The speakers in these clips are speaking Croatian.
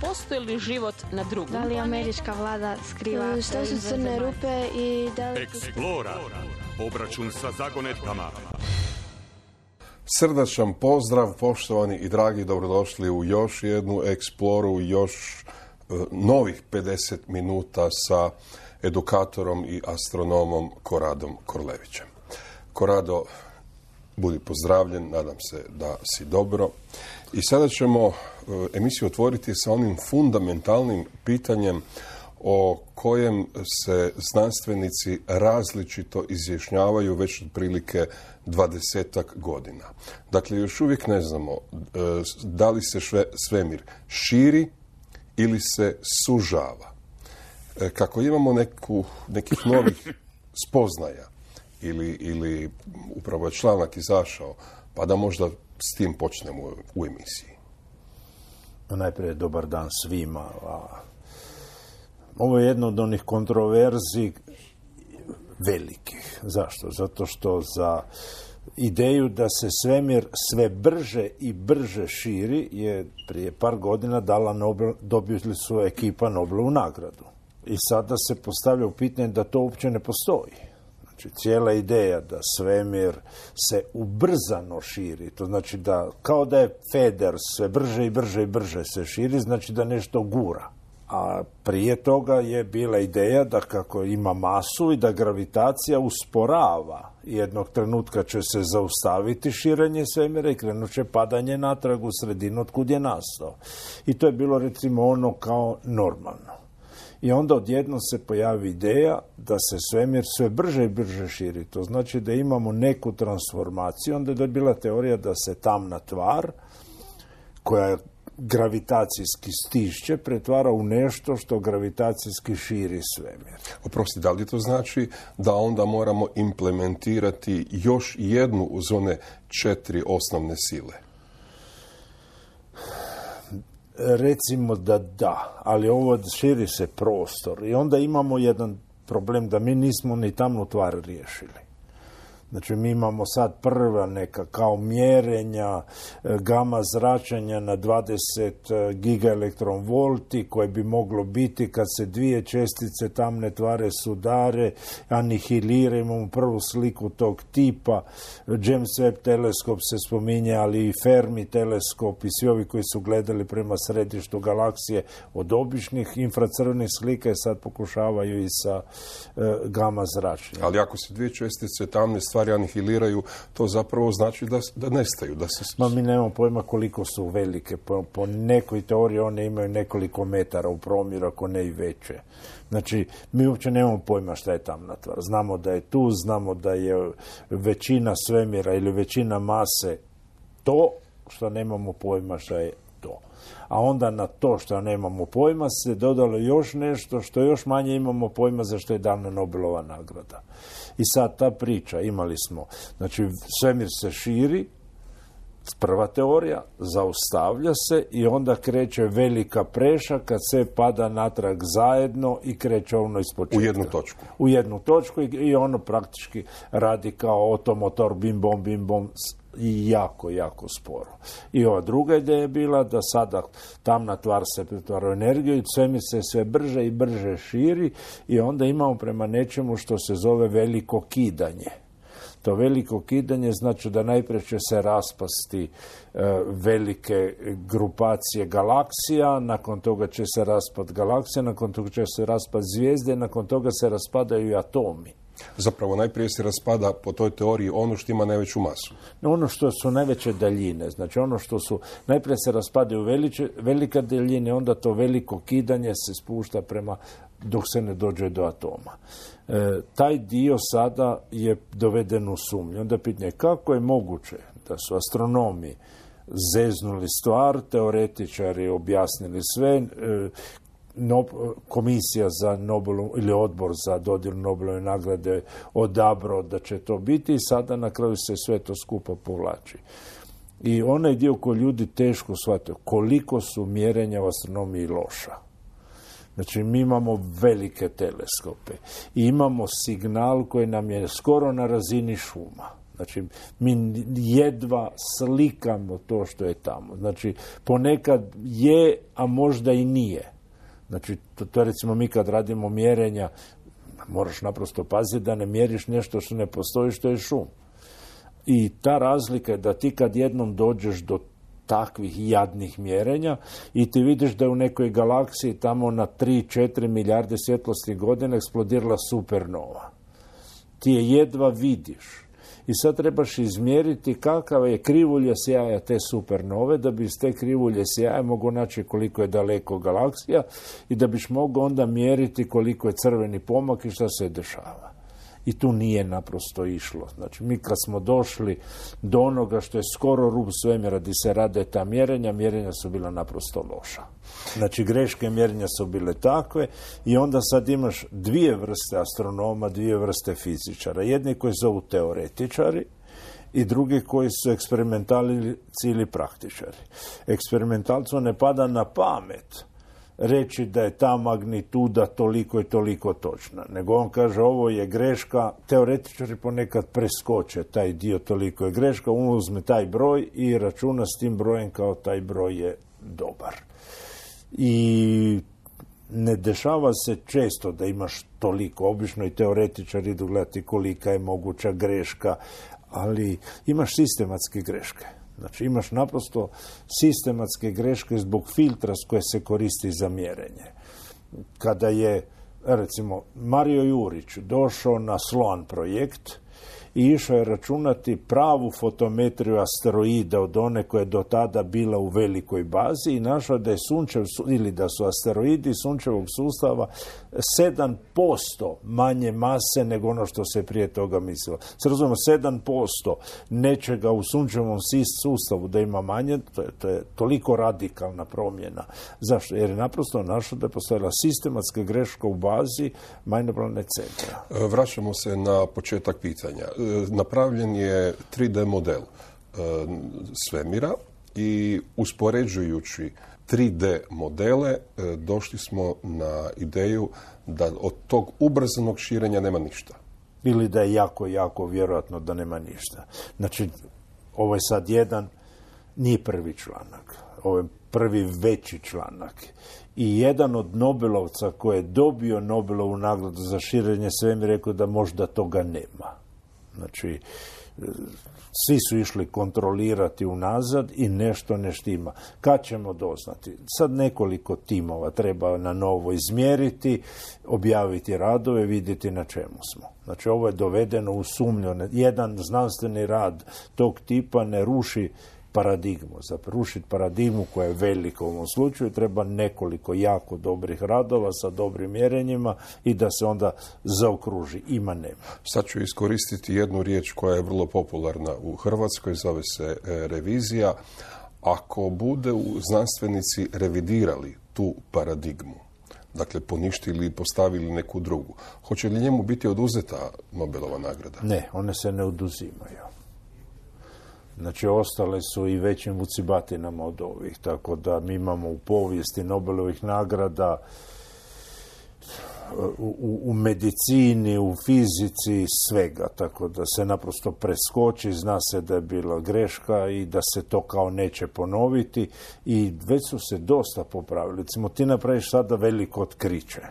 postoji li život na drugom Da li američka vlada skriva šta su crne rupe i da li... Explora. Obračun sa zagonetkama. Srdačan pozdrav, poštovani i dragi, dobrodošli u još jednu Exploru, još novih 50 minuta sa edukatorom i astronomom Koradom Korlevićem. Korado, budi pozdravljen, nadam se da si dobro. I sada ćemo emisiju otvoriti sa onim fundamentalnim pitanjem o kojem se znanstvenici različito izjašnjavaju već otprilike 20-ak godina. Dakle, još uvijek ne znamo da li se svemir širi ili se sužava. Kako imamo nekih novih spoznaja ili upravo je članak izašao, pa da možda s tim počnemo u emisiji. Najprije dobar dan svima. Ovo je jedno od onih kontroverzi velikih. Zašto? Zato što za ideju da se svemir sve brže i brže širi je prije par godina dobili su ekipa Nobelovu nagradu. I sada se postavlja u pitanje da to uopće ne postoji. Znači, cijela ideja da svemir se ubrzano širi, to znači da kao da je feder sve brže i brže i brže se širi, znači da nešto gura. A prije toga je bila ideja da kako ima masu i da gravitacija usporava. Jednog trenutka će se zaustaviti širenje svemira i krenut će padanje natrag u sredinu od kud je nastao. I to je bilo recimo ono kao normalno. I onda odjednom se pojavi ideja da se svemir sve brže i brže širi. To znači da imamo neku transformaciju. Onda je bila teorija da se tamna tvar koja gravitacijski stišće pretvara u nešto što gravitacijski širi svemir. Oprosti, da li to znači da onda moramo implementirati još jednu uz one 4 osnovne sile? Recimo da, ali ovo širi se prostor i onda imamo jedan problem da mi nismo ni tamnu tvar riješili. Znači, mi imamo sad prva neka kao mjerenja gama zračenja na 20 gigaelektronvolti koje bi moglo biti kad se dvije čestice tamne tvare sudare, anihilira, imamo prvu sliku tog tipa. James Webb teleskop se spominje, ali i Fermi teleskop i svi ovi koji su gledali prema središtu galaksije od običnih infracrvenih slika i sad pokušavaju i sa gama zračenja. Ali ako se dvije čestice tamne stvari anihiliraju, to zapravo znači da nestaju. Mi nemamo pojma koliko su velike. Po nekoj teoriji one imaju nekoliko metara u promjeru, ako ne i veće. Znači, mi uopće nemamo pojma šta je tamna tvar. Znamo da je tu, znamo da je većina svemira ili većina mase to, što nemamo pojma šta je to. A onda na to što nemamo pojma se dodalo još nešto što još manje imamo pojma za što je dana Nobelova nagrada. I sad ta priča, imali smo, znači svemir se širi, prva teorija, zaustavlja se i onda kreće velika preša kad sve pada natrag zajedno i kreće ono ispočetka. U jednu točku i ono praktički radi kao otomotor, bim bom, i jako, jako sporo. I ova druga ideja je bila da sada tamna tvar se pretvara u energiju i svemir se sve brže i brže širi i onda imamo prema nečemu što se zove veliko kidanje. To veliko kidanje znači da najprije će se raspasti velike grupacije galaksija, nakon toga će se raspad galaksija, nakon toga će se raspad zvijezde, nakon toga se raspadaju i atomi. Zapravo najprije se raspada po toj teoriji ono što ima najveću masu. Ono što su najveće daljine, znači ono što su, najprije se raspadaju velike daljine, onda to veliko kidanje se spušta prema dok se ne dođe do atoma. Taj dio sada je doveden u sumnju. Onda pitanje kako je moguće da su astronomi zeznuli stvar, teoretičari objasnili sve, komisija za Nobelu ili odbor za dodjelu Nobelove nagrade odabrao da će to biti i sada na kraju se sve to skupo povlači. I onaj dio koji ljudi teško shvataju, koliko su mjerenja u astronomiji loša. Znači, mi imamo velike teleskope i imamo signal koji nam je skoro na razini šuma. Znači, mi jedva slikamo to što je tamo. Znači, ponekad je, a možda i nije. Znači, to recimo mi kad radimo mjerenja, moraš naprosto paziti da ne mjeriš nešto što ne postoji, što je šum. I ta razlika je da ti kad jednom dođeš do takvih jadnih mjerenja i ti vidiš da je u nekoj galaksiji tamo na 3-4 milijarde svjetlosnih godina eksplodirala supernova. Ti je jedva vidiš. I sad trebaš izmjeriti kakav je krivulja sjaja te supernove, da bi iz te krivulje sjaja mogao naći koliko je daleko galaksija i da biš mogao onda mjeriti koliko je crveni pomak i šta se dešava. I tu nije naprosto išlo. Znači, mi kad smo došli do onoga što je skoro rub svemira gdje se rade ta mjerenja su bila naprosto loša. Znači, greške mjerenja su bile takve i onda sad imaš dvije vrste astronoma, dvije vrste fizičara. Jedni koji zovu teoretičari i drugi koji su eksperimentalci ili praktičari. Eksperimentalcu ne pada na pamet reći da je ta magnituda toliko i toliko točna. Nego on kaže ovo je greška, teoretičari ponekad preskoče taj dio toliko je greška, on uzme taj broj i računa s tim brojem kao taj broj je dobar. I ne dešava se često da imaš toliko, obično i teoretičari idu gledati kolika je moguća greška, ali imaš sistematske greške. Znači imaš naprosto sistematske greške zbog filtra s koje se koristi za mjerenje. Kada je, recimo, Mario Jurić došao na SLOAN projekt i išao je računati pravu fotometriju asteroida od one koja je do tada bila u velikoj bazi i našao da je da su asteroidi sunčevog sustava 7% manje mase nego ono što se prije toga mislilo. Se razumemo, 7% nečega u sunčevom sustavu da ima manje, to je toliko radikalna promjena. Zašto? Jer je naprosto našao da je postojala sistematska greška u bazi majnoplanetnog centra. Vraćamo se na početak pitanja. Napravljen je 3D model svemira i uspoređujući 3D modele došli smo na ideju da od tog ubrzanog širenja nema ništa. Ili da je jako, jako vjerojatno da nema ništa. Znači, ovo je sad jedan, nije prvi članak. Ovo je prvi veći članak. I jedan od Nobelovca koji je dobio Nobelovu nagradu za širenje svemira rekao da možda toga nema. Znači, svi su išli kontrolirati unazad i nešto ne štima. Kad ćemo doznati? Sad nekoliko timova treba na novo izmjeriti, objaviti radove, vidjeti na čemu smo. Znači, ovo je dovedeno u sumnju. Jedan znanstveni rad tog tipa ne ruši paradigmu. Za rušiti paradigmu koja je velika u ovom slučaju treba nekoliko jako dobrih radova sa dobrim mjerenjima i da se onda zaokruži. Ima nema. Sad ću iskoristiti jednu riječ koja je vrlo popularna u Hrvatskoj, zove se revizija. Ako bude znanstvenici revidirali tu paradigmu, dakle poništili i postavili neku drugu, hoće li njemu biti oduzeta Nobelova nagrada? Ne, one se ne oduzimaju. Znači, ostale su i većim vucibatinama od ovih, tako da mi imamo u povijesti Nobelovih nagrada u medicini, u fizici, svega, tako da se naprosto preskoči, zna se da je bila greška i da se to kao neće ponoviti i već su se dosta popravili. Recimo, ti napraviš sada veliko otkriće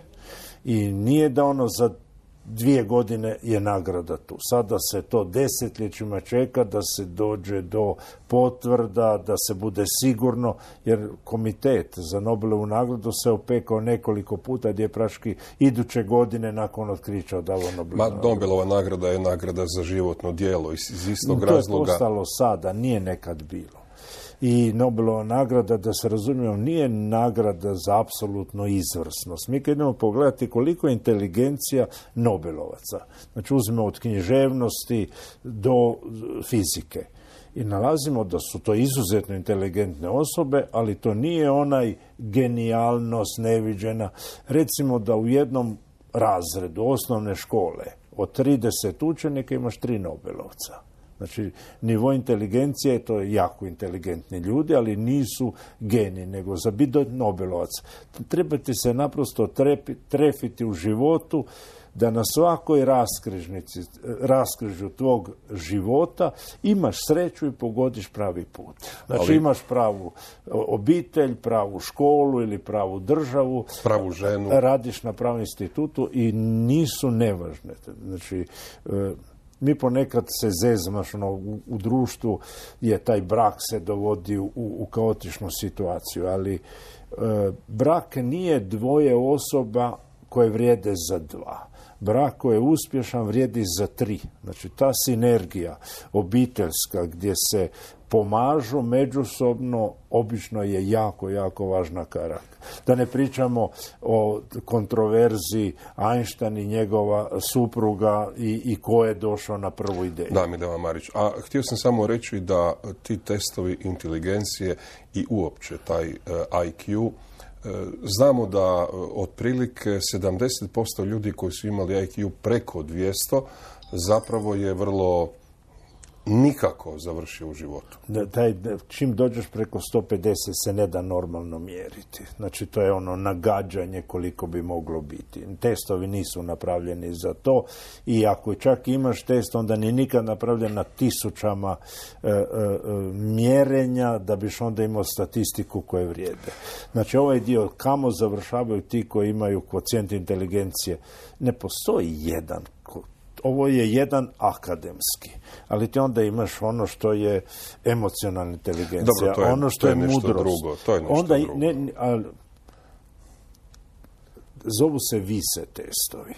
i nije da ono za 2 godine je nagrada tu. Sada se to desetljećima čeka da se dođe do potvrda, da se bude sigurno, jer komitet za Nobelovu nagradu se opekao nekoliko puta gdje je praški iduće godine nakon otkrića odavao Nobelovu nagradu. Nobelova nagrada je nagrada za životno djelo iz istog razloga. To je postalo sada, nije nekad bilo. I Nobelova nagrada, da se razumijemo, nije nagrada za apsolutnu izvrsnost. Mi kad idemo pogledati koliko je inteligencija Nobelovaca. Znači, uzmemo od književnosti do fizike. I nalazimo da su to izuzetno inteligentne osobe, ali to nije onaj genijalnost neviđena. Recimo da u jednom razredu osnovne škole od 30 učenika imaš 3 Nobelovca. Znači, nivo inteligencije, to je jako inteligentni ljudi, ali nisu geni, nego za biti Nobelovac. Trebate se naprosto trefiti u životu, da na svakoj raskrižju tvog života imaš sreću i pogodiš pravi put. Znači, imaš pravu obitelj, pravu školu ili pravu državu, pravu ženu, radiš na pravom institutu i nisu nevažne. Znači, mi ponekad se zezamo, u društvu je taj brak se dovodi u kaotičnu situaciju, ali brak nije dvoje osoba koje vrijede za dva. Brak koji je uspješan vrijedi za 3. Znači, ta sinergija obiteljska gdje se pomažu međusobno obično je jako, jako važna karaka. Da ne pričamo o kontroverziji Einstein i njegova supruga i ko je došao na prvu ideju. Da, Mileva Marić. A htio sam samo reći da ti testovi inteligencije i uopće taj IQ, znamo da otprilike 70% ljudi koji su imali IQ preko 200 zapravo je vrlo nikako završio u životu. Čim dođeš preko 150 se ne da normalno mjeriti. Znači, to je ono nagađanje koliko bi moglo biti. Testovi nisu napravljeni za to i ako čak imaš test, onda nije nikad napravljen na tisućama mjerenja da biš onda imao statistiku koje vrijede. Znači, ovaj dio kamo završavaju ti koji imaju kvocijent inteligencije. Ne postoji jedan. Ovo je jedan akademski, ali ti onda imaš ono što je emocionalna inteligencija, dobro, ono što je mudrost. Drugo, to je nešto onda drugo. Zovu se vise testovi.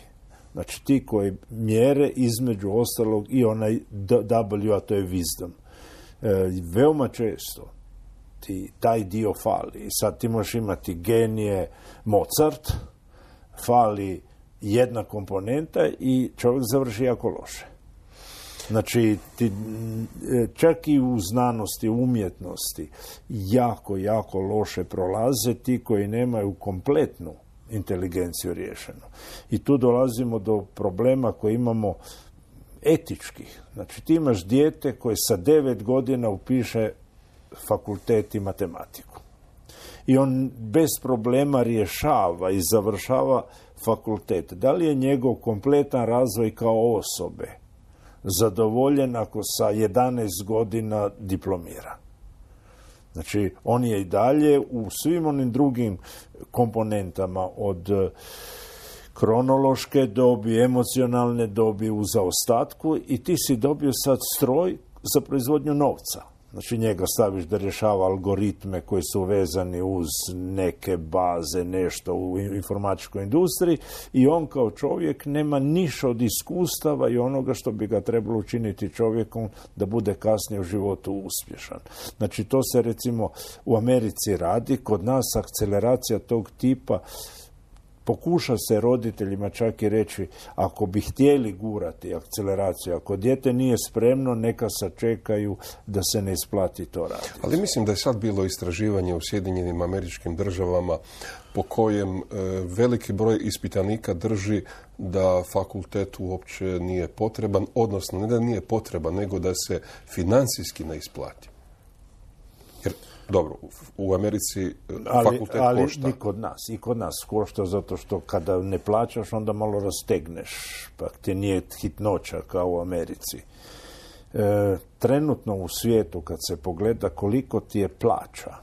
Znači, ti koji mjere između ostalog i onaj W, a to je wisdom. Veoma često taj dio fali. I sad ti možeš imati genije Mozart, fali jedna komponenta i čovjek završi jako loše. Znači, čak i u znanosti, umjetnosti, jako, jako loše prolaze ti koji nemaju kompletnu inteligenciju riješenu. I tu dolazimo do problema koje imamo etičkih. Znači, ti imaš dijete koje sa 9 godina upiše fakultet i matematiku. I on bez problema rješava i završava fakultet. Da li je njegov kompletan razvoj kao osobe zadovoljen ako sa 11 godina diplomira? Znači, on je i dalje u svim onim drugim komponentama od kronološke dobi, emocionalne dobi u zaostatku i ti si dobio sad stroj za proizvodnju novca. Znači, njega staviš da rješava algoritme koji su vezani uz neke baze, nešto u informatičkoj industriji i on kao čovjek nema ništa od iskustava i onoga što bi ga trebalo učiniti čovjekom da bude kasnije u životu uspješan. Znači, to se recimo u Americi radi, kod nas akceleracija tog tipa pokuša se roditeljima čak i reći, ako bi htjeli gurati akceleraciju, ako dijete nije spremno, neka sačekaju da se ne isplati to raditi. Ali mislim da je sad bilo istraživanje u Sjedinjenim Američkim Državama po kojem veliki broj ispitanika drži da fakultet uopće nije potreban, odnosno ne da nije potreban, nego da se financijski ne isplati. Jer dobro, u Americi fakultet košta. Ali i kod nas košta zato što kada ne plaćaš onda malo rastegneš, pa ti nije hitnoća kao u Americi. Trenutno u svijetu kad se pogleda koliko ti je plaća,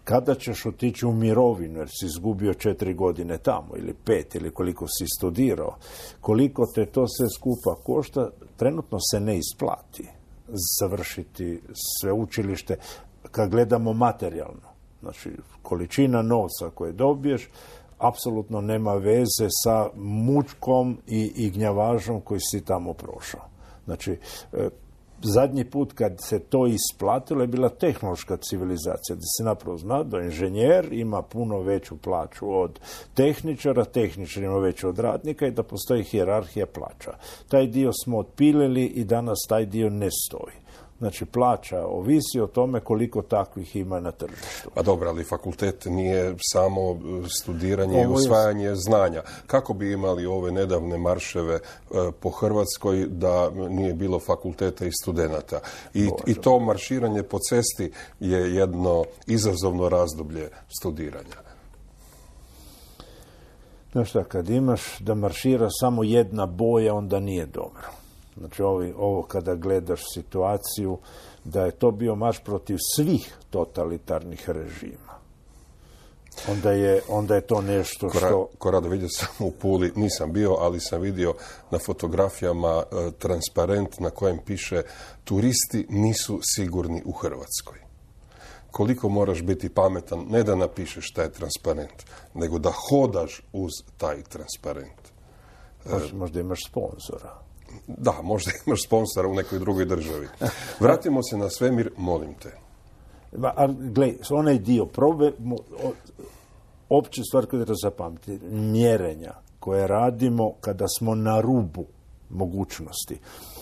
kada ćeš otići u mirovinu jer si izgubio 4 godine tamo ili 5 ili koliko si studirao, koliko te to sve skupa košta, trenutno se ne isplati završiti sveučilište kad gledamo materijalno. Znači, količina novca koje dobiješ apsolutno nema veze sa mučkom i gnjavažom koji si tamo prošao. Znači, zadnji put kad se to isplatilo je bila tehnološka civilizacija, da se napravo zna da inženjer ima puno veću plaću od tehničara, tehničar ima veću od radnika i da postoji hijerarhija plaća. Taj dio smo otpilili i danas taj dio ne stoji. Znači, plaća ovisi o tome koliko takvih ima na tržištu. Pa dobro, ali fakultet nije samo studiranje i usvajanje znanja. Kako bi imali ove nedavne marševe po Hrvatskoj da nije bilo fakulteta i studenata? I to marširanje po cesti je jedno izazovno razdoblje studiranja. Znaš šta, kad imaš da maršira samo jedna boja, onda nije dobro. Znači, ovo kada gledaš situaciju, da je to bio marš protiv svih totalitarnih režima. Onda je to nešto što... Korado, vidio sam u Puli, nisam bio, ali sam vidio na fotografijama transparent na kojem piše turisti nisu sigurni u Hrvatskoj. Koliko moraš biti pametan, ne da napišeš taj transparent, nego da hodaš uz taj transparent. Možda imaš sponzora. Da, možda imaš sponsora u nekoj drugoj državi. Vratimo se na svemir, molim te. Gle, onaj dio probe, opće stvar koju treba zapamtiti, mjerenja koje radimo kada smo na rubu mogućnosti.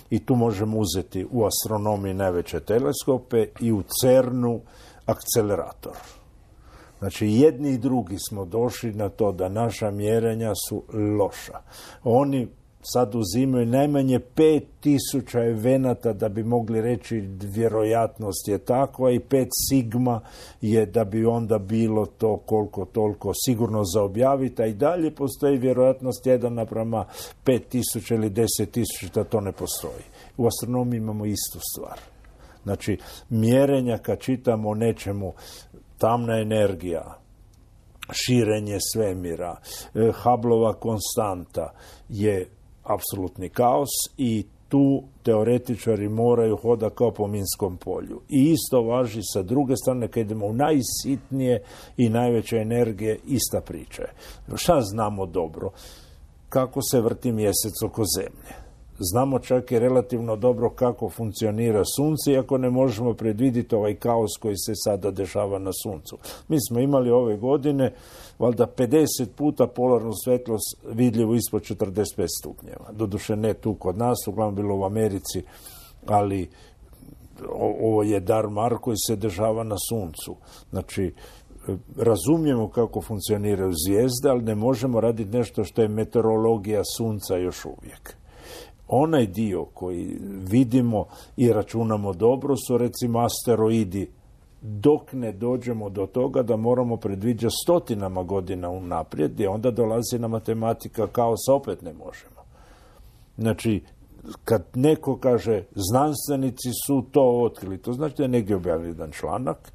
I tu možemo uzeti u astronomiji najveće teleskope i u CERN-u akcelerator. Znači, jedni i drugi smo došli na to da naša mjerenja su loša. Oni sad uzimaju najmanje 5000 evenata da bi mogli reći vjerojatnost je takva i 5 sigma je da bi onda bilo to koliko toliko sigurno za objaviti, a i dalje postoji vjerojatnost 1:5000 ili 10.000 da to ne postoji. U astronomiji imamo istu stvar. Znači, mjerenja kad čitamo o nečemu, tamna energija, širenje svemira, Hubbleova konstanta je apsolutni kaos i tu teoretičari moraju hodati kao po minskom polju. I isto važi sa druge strane, kad idemo u najsitnije i najveće energije, ista priča je. Šta znamo dobro? Kako se vrti mjesec oko zemlje. Znamo čak i relativno dobro kako funkcionira sunce, iako ne možemo predvidjeti ovaj kaos koji se sada dešava na suncu. Mi smo imali ove godine valjda 50 puta polarnu svjetlost vidljivu ispod 45 stupnjeva. Doduše ne tu kod nas, uglavnom bilo u Americi, ali ovo je dar mar koji se dešava na suncu. Znači, razumijemo kako funkcioniraju zvijezde, ali ne možemo raditi nešto što je meteorologija sunca još uvijek. Onaj dio koji vidimo i računamo dobro su recimo asteroidi, dok ne dođemo do toga da moramo predviđati stotinama godina unaprijed, gdje onda dolazi na matematika kaosa, opet ne možemo. Znači, kad neko kaže znanstvenici su to otkrili, to znači da je negdje objavili jedan članak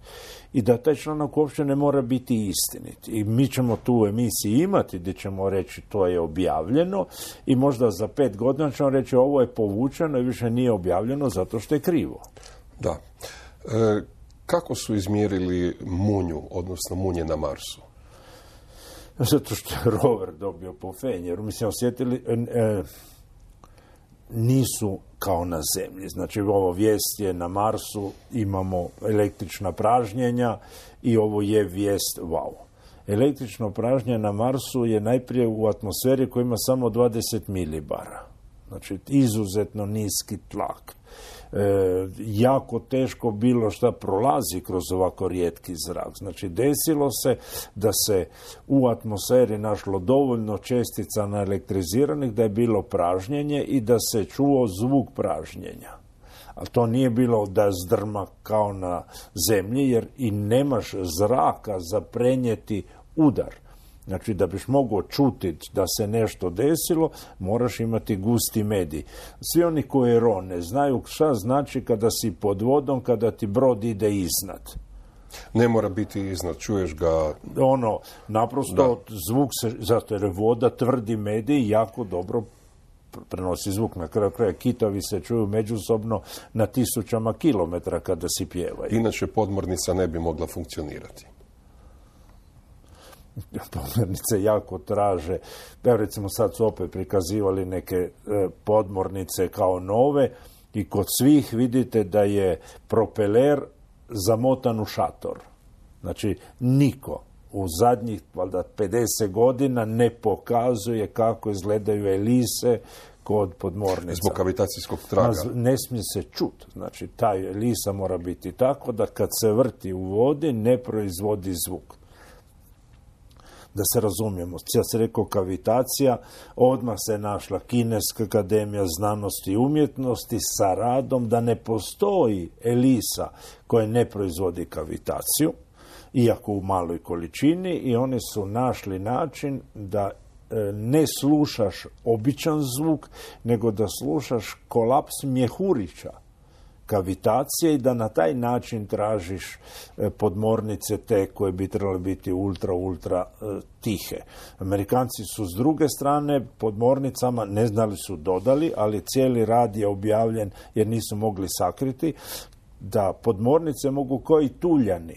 i da taj članak uopće ne mora biti istinit. I mi ćemo tu u emisiji imati gdje ćemo reći to je objavljeno i možda za 5 godina ćemo reći ovo je povučeno i više nije objavljeno zato što je krivo. Da. Kako su izmjerili munju, odnosno munje na Marsu? Zato što je rover dobio po Fenjeru. Mislim, osjetili... nisu kao na Zemlji. Znači, ovo vijest je na Marsu, imamo električna pražnjenja i ovo je vijest wow. Električno pražnjenje na Marsu je najprije u atmosferi koja ima samo 20 milibara. Znači, izuzetno niski tlak. Jako teško bilo šta prolazi kroz ovako rijetki zrak. Znači, desilo se da se u atmosferi našlo dovoljno čestica naelektriziranih da je bilo pražnjenje i da se čuo zvuk pražnjenja. Ali to nije bilo da zdrma kao na Zemlji, jer i nemaš zraka za prenijeti udar. Znači, da biš mogao čuti da se nešto desilo, moraš imati gusti medij. Svi oni koji rone znaju šta znači kada si pod vodom, kada ti brod ide iznad. Ne mora biti iznad, čuješ ga... Naprosto zvuk se, zato jer voda tvrdi medij jako dobro prenosi zvuk. Na kraju kraja kitovi se čuju međusobno na 1000 kilometara kada si pjevaju. Inače podmornica ne bi mogla funkcionirati. Podmornice jako traže. Evo recimo sad su opet prikazivali neke podmornice kao nove i kod svih vidite da je propeler zamotan u šator. Znači niko u zadnjih valjda 50 godina ne pokazuje kako izgledaju elise kod podmornica. Zbog kavitacijskog traga. Ne smije se čut. Znači, ta elisa mora biti tako da kad se vrti u vodi ne proizvodi zvuk. Da se razumijemo, ja sam rekao kavitacija, odmah se našla Kineska akademija znanosti i umjetnosti sa radom da ne postoji elisa koja ne proizvodi kavitaciju, iako u maloj količini, i oni su našli način da ne slušaš običan zvuk, nego da slušaš kolaps mjehurića kavitacije i da na taj način tražiš podmornice te koje bi trebale biti ultra tihe. Amerikanci su s druge strane podmornicama, ne znali su dodali, ali cijeli rad je objavljen jer nisu mogli sakriti, da podmornice mogu koji tuljani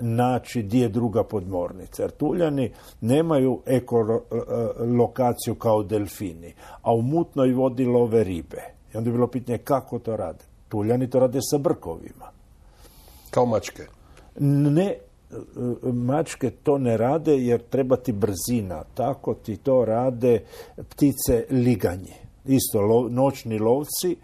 naći gdje je druga podmornica. Jer tuljani nemaju ekolokaciju kao delfini, a u mutnoj vodi love ribe. I onda je bilo pitanje kako to rade. Tuljani to rade sa brkovima. Kao mačke? Ne, mačke to ne rade jer treba ti brzina. Tako ti to rade ptice liganje. Isto noćni lovci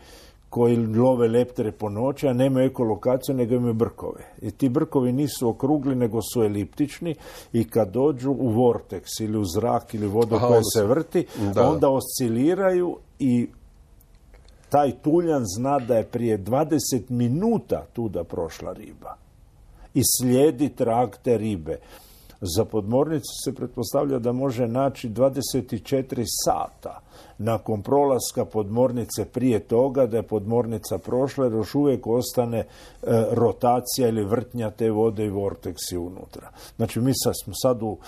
koji love leptere po noći, a nemaju ekolokaciju, nego imaju brkove. I ti brkovi nisu okrugli, nego su eliptični i kad dođu u vorteks ili u zrak ili vodu koja se vrti, onda osciliraju i taj tuljan zna da je prije 20 minuta tuda prošla riba i slijedi trag te ribe. Za podmornicu se pretpostavlja da može naći 24 sata nakon prolaska podmornice prije toga da je podmornica prošla, jer još uvijek ostane rotacija ili vrtnja te vode i vorteksi unutra. Znači mi smo sad u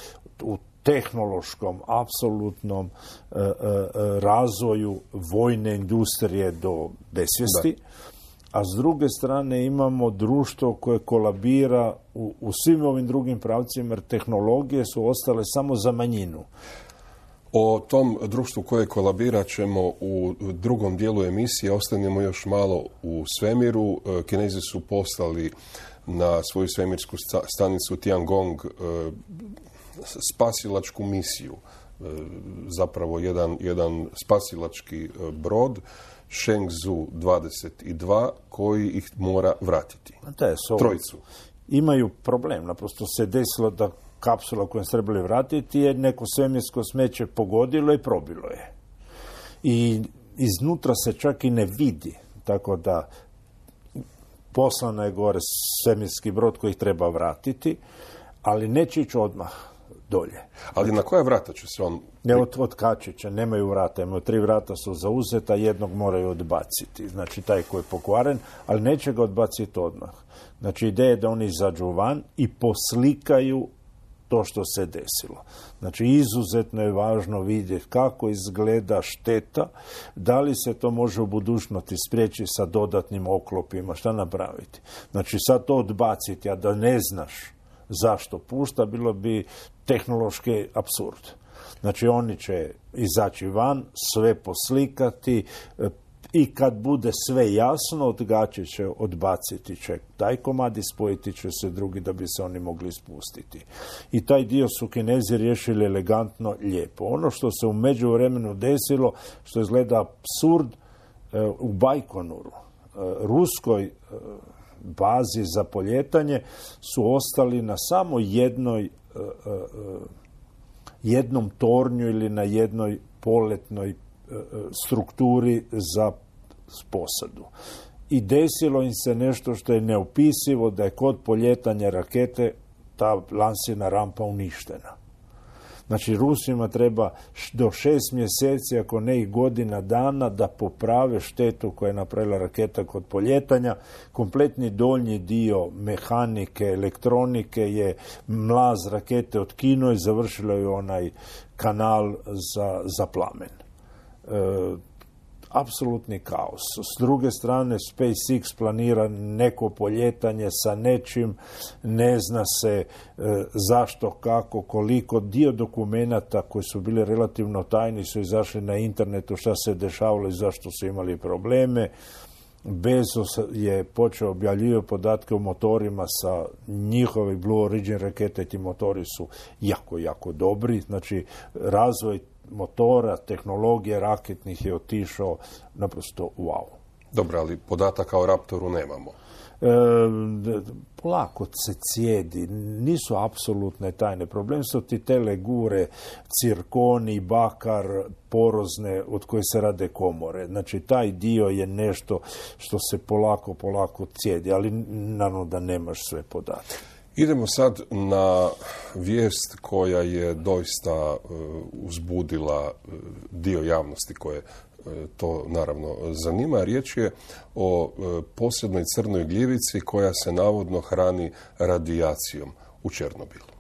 tehnološkom, apsolutnom razvoju vojne industrije do besvijesti, a s druge strane imamo društvo koje kolabira u svim ovim drugim pravcima, jer tehnologije su ostale samo za manjinu. O tom društvu koje kolabira ćemo u drugom dijelu emisije. Ostanemo još malo u svemiru. Kinezi su poslali na svoju svemirsku stanicu Tiangong spasilačku misiju. Zapravo jedan spasilački brod Shenzhou 22 koji ih mora vratiti. Trojicu. Imaju problem. Naprosto se desilo da kapsula koju se trebali vratiti je neko svemirsko smeće pogodilo i probilo je. I iznutra se čak i ne vidi. Tako da poslana je gore svemirski brod koji ih treba vratiti, ali neće ići odmah dolje. Ali na koja vrata će se on... Ne, od kačića, nemaju vrata, imaju 3 vrata su zauzeta, jednog moraju odbaciti. Znači taj koji je pokvaren, ali neće ga odbaciti odmah. Znači ideja je da oni izađu van i poslikaju to što se desilo. Znači izuzetno je važno vidjeti kako izgleda šteta, da li se to može u budućnosti spriječiti sa dodatnim oklopima, šta napraviti. Znači sad to odbaciti, a da ne znaš zašto pušta, bilo bi tehnološki apsurd. Znači oni će izaći van, sve poslikati i kad bude sve jasno, odgačit će, odbaciti će taj komad i spojiti će se drugi da bi se oni mogli spustiti. I taj dio su Kinezi riješili elegantno, lijepo. Ono što se u međuvremenu desilo, što izgleda apsurd, u Bajkonuru, ruskoj bazi za poljetanje, su ostali na samo jednom tornju ili na jednoj poletnoj strukturi za posadu. I desilo im se nešto što je neopisivo, da je kod poljetanja rakete ta lansirna rampa uništena. Znači, Rusima treba do 6 mjeseci, ako ne i godina dana, da poprave štetu koja je napravila raketa kod poljetanja. Kompletni donji dio mehanike, elektronike je mlaz rakete otkinuo i završilo je onaj kanal za plamen. Apsolutni kaos. S druge strane, SpaceX planira neko poljetanje sa nečim, ne zna se zašto, kako, koliko. Dio dokumenata koji su bili relativno tajni su izašli na internetu, šta se dešavalo i zašto su imali probleme. Bezos je počeo objavljivati podatke o motorima sa njihovi Blue Origin rakete, ti motori su jako, jako dobri. Znači, razvoj motora, tehnologije raketnih je otišao naprosto wow. Dobro, ali podataka o Raptoru nemamo. Polako se cijedi, nisu apsolutne tajne. Problem su ti te legure, cirkoni, bakar, porozne od koje se rade komore. Znači, taj dio je nešto što se polako cijedi, ali naravno da nemaš sve podatke. Idemo sad na vijest koja je doista uzbudila dio javnosti koje to naravno zanima. Riječ je o posebnoj crnoj gljivici koja se navodno hrani radijacijom u Černobilu.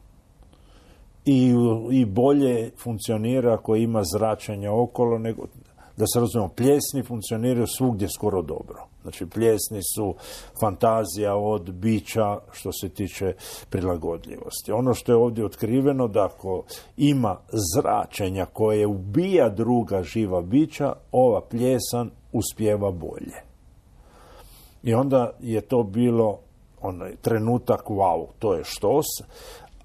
I bolje funkcionira ako ima zračenja okolo, nego, da se razumijemo, pljesni funkcioniraju svugdje skoro dobro. Znači, pljesni su fantazija od bića što se tiče prilagodljivosti. Ono što je ovdje otkriveno, da ako ima zračenja koje ubija druga živa bića, ova pljesan uspijeva bolje. I onda je to bilo onaj trenutak, wow, to je štos,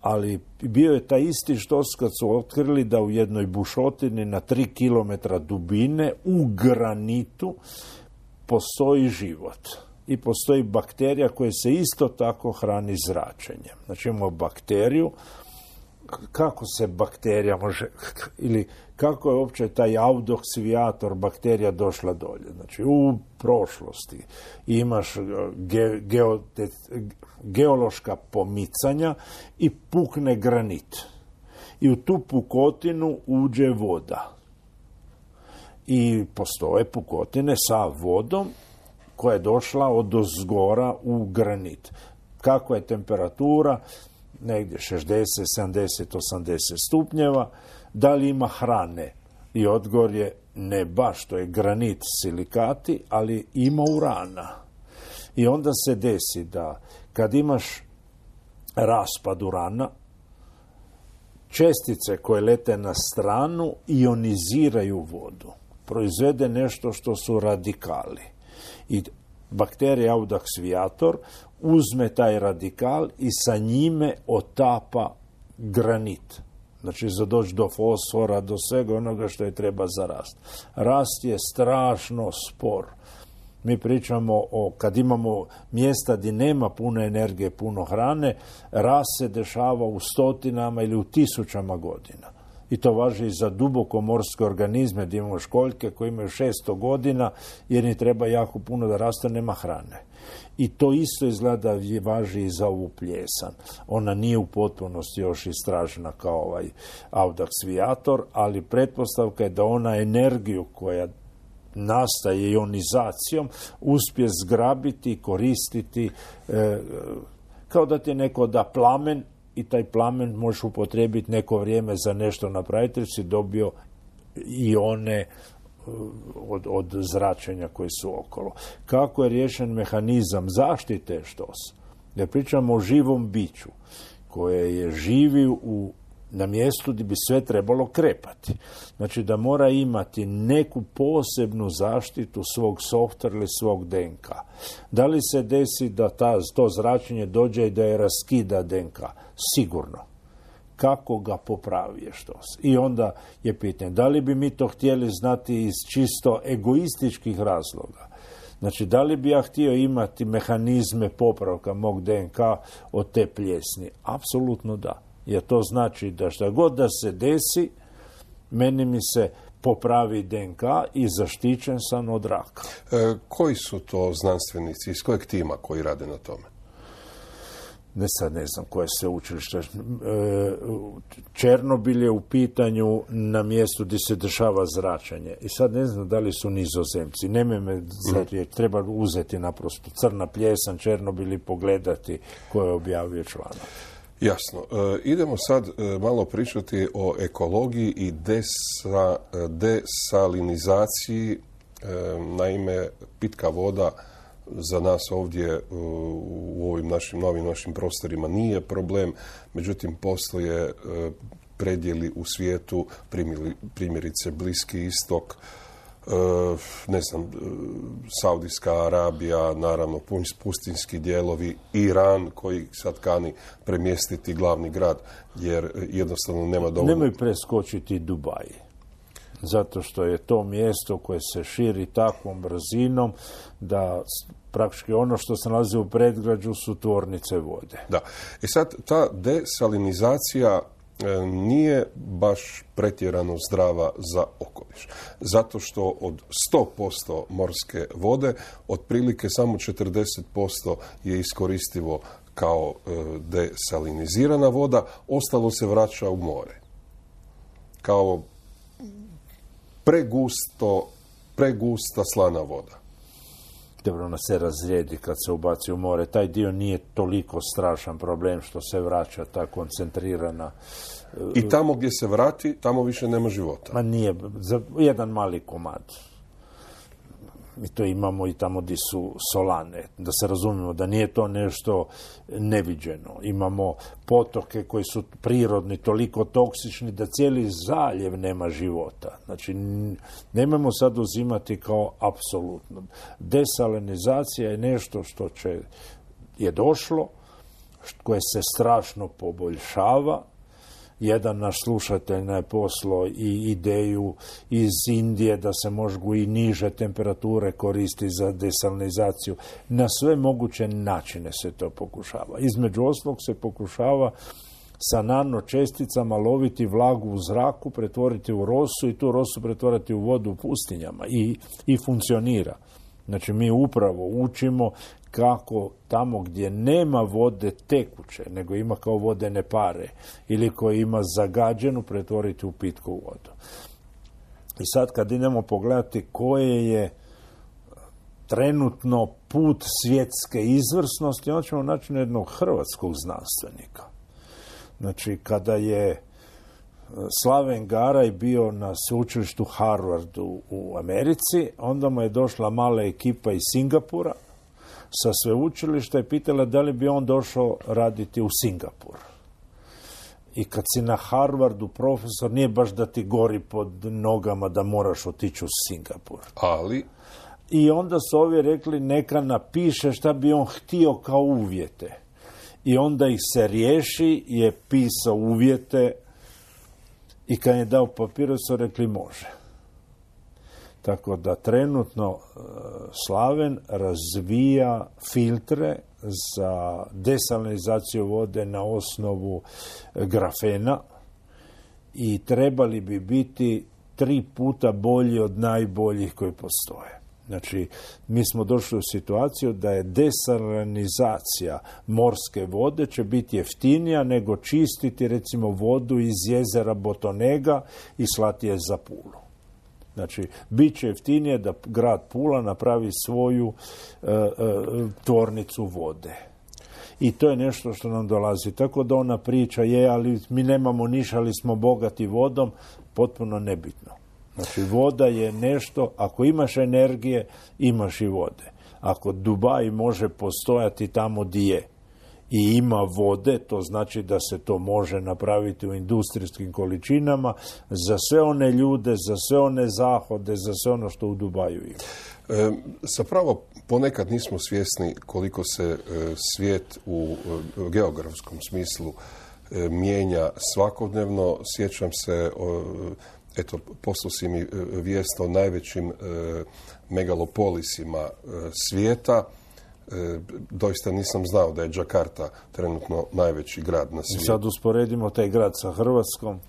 ali bio je taj isti štos kad su otkrili da u jednoj bušotini na 3 km dubine u granitu postoji život i postoji bakterija koja se isto tako hrani zračenjem. Znači, imamo bakteriju. Kako se bakterija može, ili kako je uopće taj audoksivijator bakterija došla dolje? Znači, u prošlosti imaš geološka pomicanja i pukne granit. I u tu pukotinu uđe voda. I postoje pukotine sa vodom koja je došla od ozgora u granit. Kakva je temperatura? Negdje 60, 70, 80 stupnjeva. Da li ima hrane? I odgovor je ne baš, to je granit, silikati, ali ima urana. I onda se desi da kad imaš raspad urana, čestice koje lete na stranu ioniziraju vodu. Proizvede nešto što su radikali. I bakterija audaksvijator uzme taj radikal i sa njime otapa granit. Znači, za doći do fosfora, do svega onoga što je treba za rast. Rast je strašno spor. Mi pričamo o, kad imamo mjesta gdje nema puno energije, puno hrane, rast se dešava u stotinama ili u tisućama godina. I to važi i za dubokomorske organizme, gdje imamo školjke koje imaju 600 godina, jer im treba jako puno da raste, nema hrane. I to isto izgleda važi i za ovu pljesan. Ona nije u potpunosti još istražena kao ovaj audaksvijator, ali pretpostavka je da ona energiju koja nastaje ionizacijom uspije zgrabiti i koristiti kao da ti neko da plamen i taj plamen možeš upotrijebiti neko vrijeme za nešto napraviti, jer si dobio ione od zračenja koji su okolo. Kako je riješen mehanizam zaštite štos? Jer pričamo o živom biću koje je živi na mjestu gdje bi sve trebalo krepati. Znači da mora imati neku posebnu zaštitu svog softvera ili svog DNK. Da li se desi da to zračenje dođe i da je raskida DNK? Sigurno. Kako ga popravi štos? I onda je pitanje, da li bi mi to htjeli znati iz čisto egoističkih razloga? Znači, da li bi ja htio imati mehanizme popravka mog DNK od te pljesni? Apsolutno da. Jer to znači da šta god da se desi, meni mi se popravi DNK i zaštićen sam od raka. Koji su to znanstvenici, iz kojeg tima koji rade na tome? Ne znam koje se učilište. Černobil je u pitanju na mjestu gdje se dešava zračenje. I sad ne znam da li su Nizozemci. Nemoj treba uzeti naprosto crna pljesan Černobil i pogledati ko je objavio članak. Jasno. Idemo sad malo pričati o ekologiji i desalinizaciji. Naime, pitka voda za nas ovdje u ovim novim prostorima nije problem, međutim postoje predjeli u svijetu, primjerice Bliski istok, ne znam, Saudijska Arabija, naravno pustinski dijelovi, Iran koji sad kani premjestiti glavni grad jer jednostavno nema dovoljno. Nemoj preskočiti Dubaj. Zato što je to mjesto koje se širi takvom brzinom da praktički ono što se nalazi u predgrađu su tvornice vode. Da. I sad ta desalinizacija nije baš pretjerano zdrava za okoliš. Zato što od 100% morske vode otprilike samo 40% je iskoristivo kao desalinizirana voda, ostalo se vraća u more. Kao pregusta slana voda. Dobro, ona se razrijedi kad se ubaci u more. Taj dio nije toliko strašan problem što se vraća ta koncentrirana. I tamo gdje se vrati, tamo više nema života. Ma nije, za jedan mali komad. Mi to imamo i tamo gdje su solane. Da se razumijemo, da nije to nešto neviđeno. Imamo potoke koji su prirodni, toliko toksični da cijeli zaljev nema života. Znači, nemojmo sad uzimati kao apsolutno. Desalinizacija je nešto što je došlo, koje se strašno poboljšava. Jedan naš slušatelj je poslao i ideju iz Indije da se mogu i niže temperature koristiti za desalinizaciju. Na sve moguće načine se to pokušava. Između ostalog se pokušava sa nanočesticama loviti vlagu u zraku, pretvoriti u rosu i tu rosu pretvoriti u vodu u pustinjama i funkcionira. Znači mi upravo učimo kako tamo gdje nema vode tekuće, nego ima kao vodene pare ili koji ima zagađenu pretvoriti u pitku vodu. I sad kad idemo pogledati koje je trenutno put svjetske izvrsnosti, onda ćemo naći jednog hrvatskog znanstvenika. Znači kada je Slaven Garaj bio na sveučilištu Harvardu u Americi, onda mu je došla mala ekipa iz Singapura sa sveučilišta i pitala da li bi on došao raditi u Singapur. I kad si na Harvardu profesor, nije baš da ti gori pod nogama da moraš otići u Singapur. Ali? I onda su ovi rekli neka napiše šta bi on htio kao uvjete. I onda ih se riješi, je pisao uvjete i kad je dao papir su rekli može. Tako da trenutno Slaven razvija filtre za desalinizaciju vode na osnovu grafena i trebali bi biti 3 puta bolji od najboljih koji postoje. Znači, mi smo došli u situaciju da je desalinizacija morske vode će biti jeftinija nego čistiti recimo vodu iz jezera Botonega i slati je za Pulu. Znači, bit će jeftinije da grad Pula napravi svoju tvornicu vode. I to je nešto što nam dolazi. Tako da ona priča ali mi nemamo ništa, ali smo bogati vodom, potpuno nebitno. Znači, voda je nešto, ako imaš energije, imaš i vode. Ako Dubaj može postojati tamo gdje je i ima vode, to znači da se to može napraviti u industrijskim količinama za sve one ljude, za sve one zahode, za sve ono što u Dubaju ima. Zapravo, ponekad nismo svjesni koliko se svijet u geografskom smislu mijenja svakodnevno. Sjećam se, poslao si mi vijest o najvećim megalopolisima svijeta. Doista nisam znao da je Džakarta trenutno najveći grad na svijetu. Sad usporedimo taj grad sa Hrvatskom.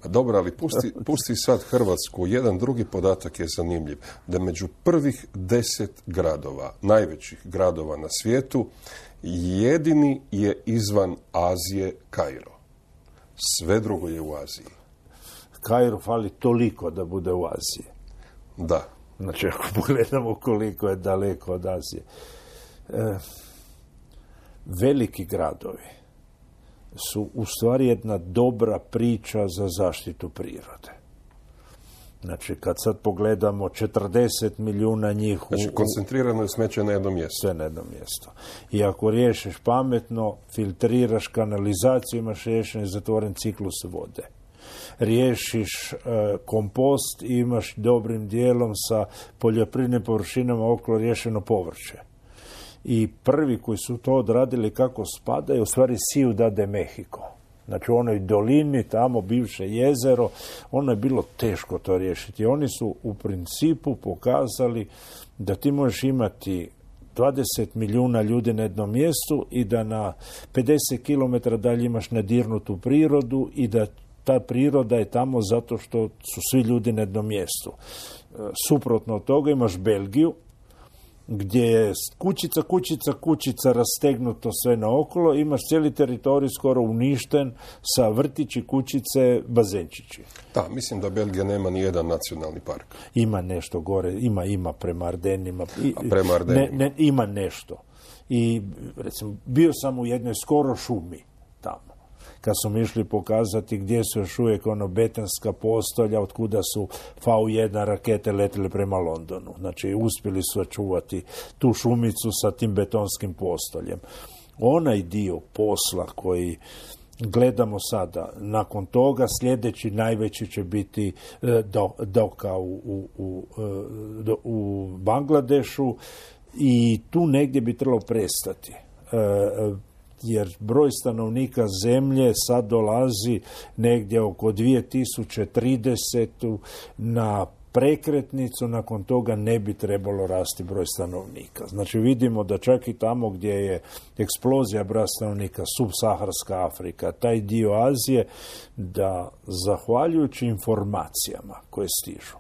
Dobro, ali pusti sad Hrvatsku. Jedan drugi podatak je zanimljiv. Da među prvih 10 gradova, najvećih gradova na svijetu, jedini je izvan Azije Kairo. Sve drugo je u Aziji. Kairo fali toliko da bude u Aziji. Da. Znači, ako pogledamo koliko je daleko od Azije. Veliki gradovi su u stvari jedna dobra priča za zaštitu prirode. Znači, kad sad pogledamo 40 milijuna njih... Znači, koncentrirano je smeće na jednom mjestu. Sve na jednom mjestu. I ako riješiš pametno, filtriraš kanalizaciju, imaš riješen i zatvoren ciklus vode. riješiš kompost i imaš dobrim dijelom sa poljoprivrednim površinama okolo riješeno povrće. I prvi koji su to odradili kako spada je u stvari Ciudad de Mexico. Znači u onoj dolini, tamo bivše jezero, ono je bilo teško to riješiti. Oni su u principu pokazali da ti možeš imati 20 milijuna ljudi na jednom mjestu i da na 50 km dalje imaš nedirnutu prirodu i da ta priroda je tamo zato što su svi ljudi na jednom mjestu. Suprotno od toga imaš Belgiju, gdje je kućica rastegnuto sve naokolo, imaš cijeli teritorij skoro uništen sa vrtići, kućice, bazenčići. Da, mislim da Belgija nema ni jedan nacionalni park. Ima nešto gore, ima prema Ardenima. Prema Ardenima. Ima nešto. I recimo, bio sam u jednoj skoro šumi tamo. Kad su mi išli pokazati gdje su još uvijek betonska postolja, od kuda su V1 rakete letile prema Londonu. Znači, uspjeli su očuvati tu šumicu sa tim betonskim postoljem. Onaj dio posla koji gledamo sada, nakon toga sljedeći najveći će biti Doka u Bangladešu i tu negdje bi trebalo prestati. Jer broj stanovnika zemlje sad dolazi negdje oko 2030 na prekretnicu, nakon toga ne bi trebalo rasti broj stanovnika. Znači vidimo da čak i tamo gdje je eksplozija broja stanovnika, subsaharska Afrika, taj dio Azije, da zahvaljujući informacijama koje stižu,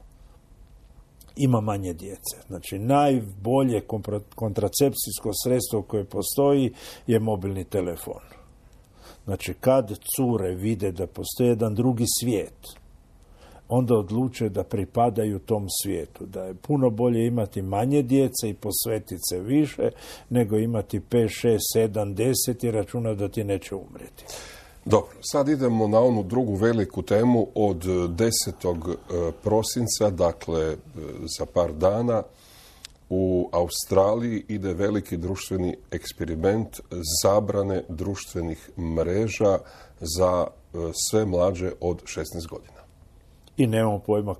ima manje djece. Znači, najbolje kontracepcijsko sredstvo koje postoji je mobilni telefon. Znači, kad cure vide da postoji jedan drugi svijet, onda odluče da pripadaju tom svijetu. Da je puno bolje imati manje djece i posvetiti se više, nego imati 5, 6, 7, 10 i računa da ti neće umrijeti. Dobro, sad idemo na onu drugu veliku temu od 10. prosinca, dakle za par dana, u Australiji ide veliki društveni eksperiment zabrane društvenih mreža za sve mlađe od 16 godina. I nemamo pojma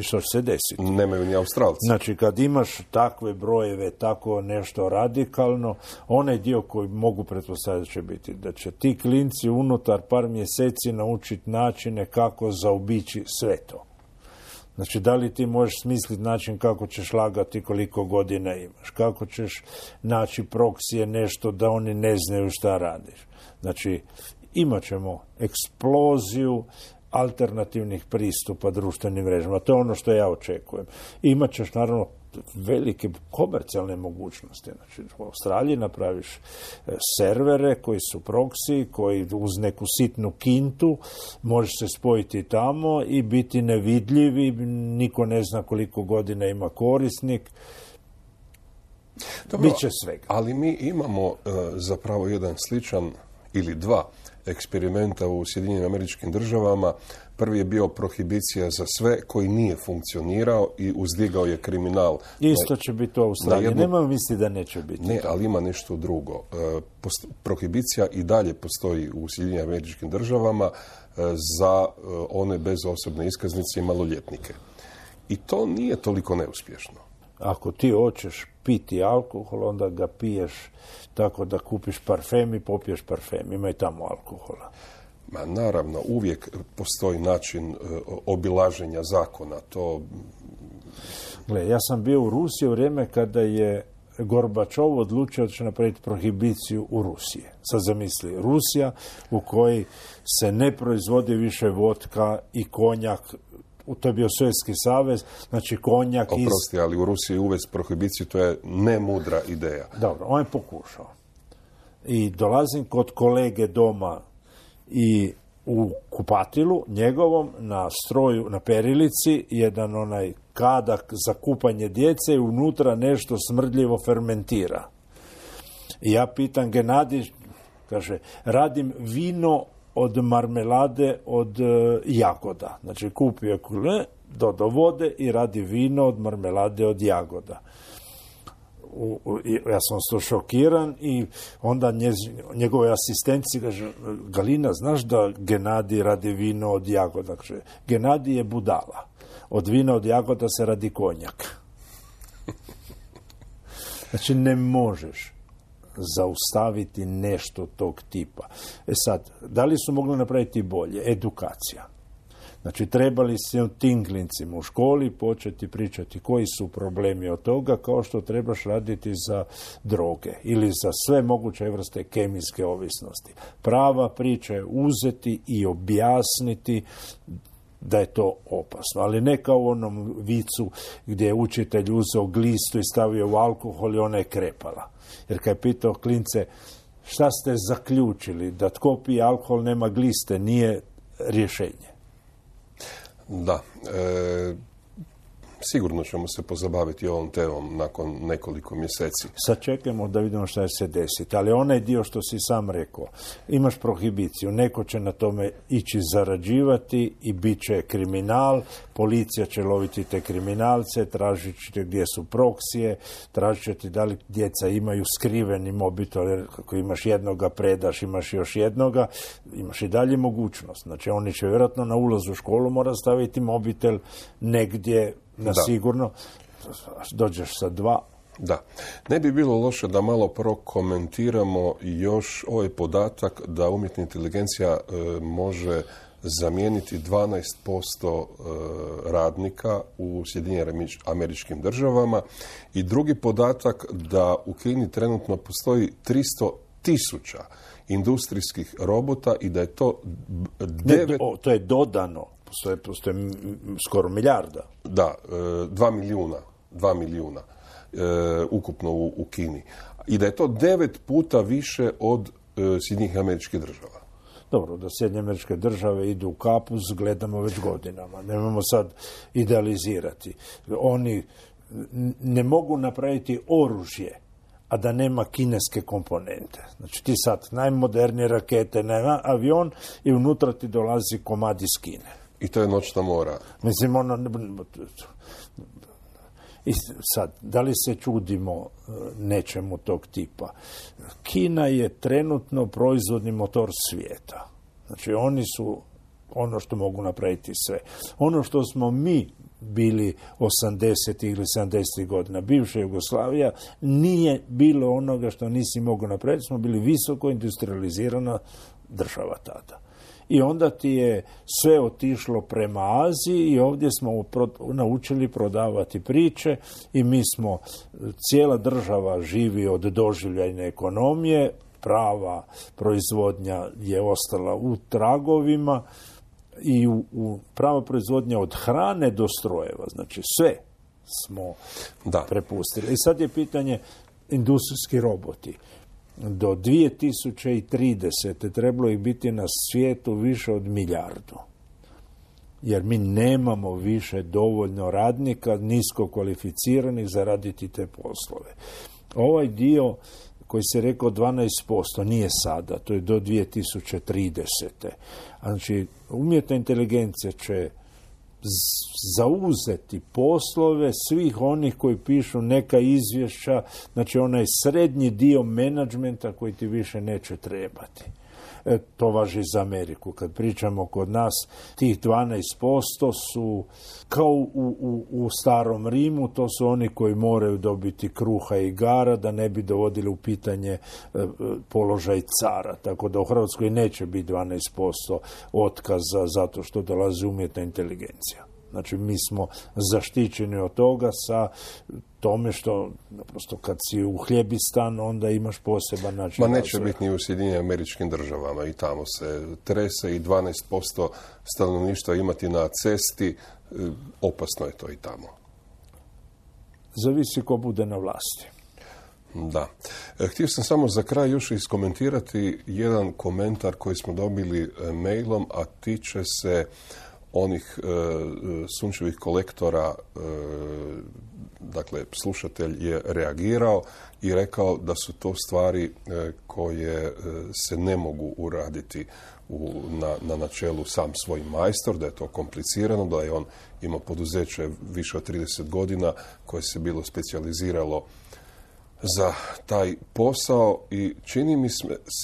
što će se desiti. Nemaju ni Australci. Znači, kad imaš takve brojeve, tako nešto radikalno, onaj dio koji mogu pretpostaviti će biti da će ti klinci unutar par mjeseci naučiti načine kako zaobići sve to. Znači, da li ti možeš smisliti način kako ćeš lagati koliko godina imaš, kako ćeš naći proksije nešto da oni ne znaju šta radiš. Znači, imat ćemo eksploziju alternativnih pristupa društvenim mrežama. To je ono što ja očekujem. Imat ćeš naravno velike komercijalne mogućnosti. Znači, u Australiji napraviš servere koji su proksi, koji uz neku sitnu kintu možeš se spojiti tamo i biti nevidljivi, niko ne zna koliko godina ima korisnik. Dobro, biće svega. Ali mi imamo zapravo jedan sličan ili dva eksperimenta u Sjedinjenim Američkim Državama. Prvi je bio prohibicija za sve, koji nije funkcionirao i uzdigao je kriminal. Isto će biti u Australiji. Nemoj misliti da neće biti. Ne, ali ima nešto drugo. Prohibicija i dalje postoji u Sjedinjenim Američkim Državama za one bez osobne iskaznice i maloljetnike. I to nije toliko neuspješno. Ako ti hoćeš piti alkohol, onda ga piješ tako da kupiš parfem i popiješ parfem. Ima i tamo alkohola. Ma naravno, uvijek postoji način obilaženja zakona. Gle, ja sam bio u Rusiji u vrijeme kada je Gorbačov odlučio da će napraviti prohibiciju u Rusiji. Sad zamisli, Rusija u kojoj se ne proizvodi više vodka i konjak. To je bio Sovjetski savez, znači konjak Oprosti, ali u Rusiji uvesti prohibiciju, to je nemudra ideja. Dobro, on je pokušao. I dolazim kod kolege doma i u kupatilu njegovom na stroju, na perilici, jedan onaj kadak za kupanje djece i unutra nešto smrdljivo fermentira. I ja pitam Genadij, kaže, radim vino od marmelade od jagoda. Znači, kupio do vode i radi vino od marmelade od jagoda. ja sam to šokiran i onda njegove asistenci kaže, Galina, znaš da Genadij radi vino od jagoda? Kaže, Genadij je budala. Od vina od jagoda se radi konjak. Znači, ne možeš zaustaviti nešto tog tipa. Sad, da li su mogli napraviti bolje? Edukacija. Znači, trebali se tim klincima u školi početi pričati koji su problemi od toga, kao što trebaš raditi za droge ili za sve moguće vrste kemijske ovisnosti. Prava priča je uzeti i objasniti da je to opasno, ali ne kao u onom vicu gdje je učitelj uzeo glistu i stavio u alkohol i ona je krepala. Jer kad je pitao klince, šta ste zaključili, da tko pije alkohol nema gliste, nije rješenje. Da, sigurno ćemo se pozabaviti ovom temom nakon nekoliko mjeseci. Sad čekamo da vidimo šta će se desiti, ali onaj dio što si sam rekao, imaš prohibiciju, neko će na tome ići zarađivati i bit će kriminal, policija će loviti te kriminalce, tražit će gdje su proksije, tražit će ti da li djeca imaju skriveni mobitel, jer ako imaš jednoga predaš, imaš još jednoga, imaš i dalje mogućnost. Znači oni će vjerojatno na ulazu u školu mora staviti mobitel negdje na sigurno, dođeš sa 2. Da. Ne bi bilo loše da malo prokomentiramo još ovaj podatak da umjetna inteligencija može zamijeniti 12% radnika u Sjedinjenim Američkim Državama i drugi podatak da u Kini trenutno postoji 300.000 industrijskih robota i da je to 9... To je dodano. Postoje skoro milijarda. Da, 2 milijuna ukupno u Kini. I da je to 9 puta više od Sjedinjenih Američkih Država. Dobro, da Sjedinjene Američke Države idu u kapuz, gledamo već godinama. Nemojmo sad idealizirati. Oni ne mogu napraviti oružje, a da nema kineske komponente. Znači ti sad najmodernije rakete, avion i unutra ti dolazi komad iz Kine. I to je noćna mora. Mislim, i sad, da li se čudimo nečemu tog tipa? Kina je trenutno proizvodni motor svijeta. Znači, oni su ono što mogu napraviti sve. Ono što smo mi bili 80. ili 70. godina, bivša Jugoslavija, nije bilo onoga što nisi mogao napraviti. Smo bili visoko industrializirana država tada. I onda ti je sve otišlo prema Aziji i ovdje smo naučili prodavati priče i mi smo, cijela država živi od doživljajne ekonomije, prava proizvodnja je ostala u tragovima i prava proizvodnja od hrane do strojeva, znači sve smo prepustili. I sad je pitanje industrijski roboti. Do 2030. trebalo ih biti na svijetu više od 1 milijardu. Jer mi nemamo više dovoljno radnika, nisko kvalificiranih za raditi te poslove. Ovaj dio koji se rekao 12% nije sada, to je do 2030. Znači, umjetna inteligencija će zauzeti poslove svih onih koji pišu neka izvješća, znači onaj srednji dio menadžmenta koji ti više neće trebati. To važi za Ameriku. Kad pričamo kod nas, tih 12% su kao u starom Rimu, to su oni koji moraju dobiti kruha i igara da ne bi dovodili u pitanje položaj cara. Tako da u Hrvatskoj neće biti 12% otkaza zato što dolazi umjetna inteligencija. Znači, mi smo zaštićeni od toga sa tome što, naprosto, kad si u hljebistan, onda imaš poseban način. Ma neće biti ni u Sjedinjenim Američkim Državama, i tamo se trese i 12% stanovništva imati na cesti, opasno je to i tamo. Zavisi ko bude na vlasti. Da. Htio sam samo za kraj još iskomentirati jedan komentar koji smo dobili mailom, a tiče se onih sunčevih kolektora. Dakle, slušatelj je reagirao i rekao da su to stvari koje se ne mogu uraditi na načelu sam svoj majstor, da je to komplicirano, da je on imao poduzeće više od 30 godina koje se bilo specijaliziralo za taj posao i čini mi